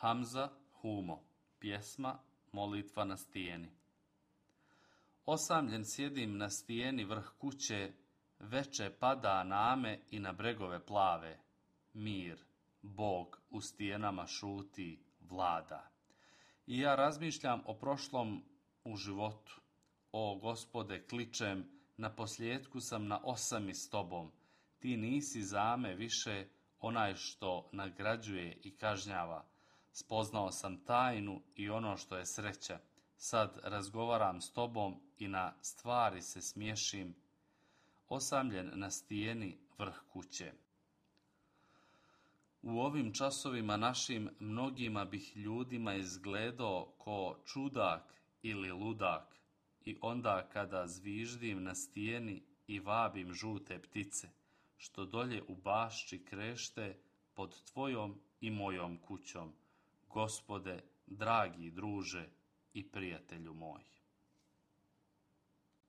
Hamza Humo. Pjesma Molitva na stijeni. Osamljen sjedim na stijeni vrh kuće, veče pada name i na bregove plave. Mir, Bog u stijenama šuti, vlada. I ja razmišljam o prošlom u životu. O Gospode, kličem, na posljedku sam na osami s tobom. Ti nisi za me više onaj što nagrađuje i kažnjava. Spoznao sam tajnu i ono što je sreća. Sad razgovaram s tobom i na stvari se smiješim. Osamljen na stijeni vrh kuće. U ovim časovima našim mnogima bih ljudima izgledao ko čudak ili ludak. I onda kada zviždim na stijeni i vabim žute ptice, što dolje u bašči krešte pod tvojom i mojom kućom, Gospode, dragi druže i prijatelju moj.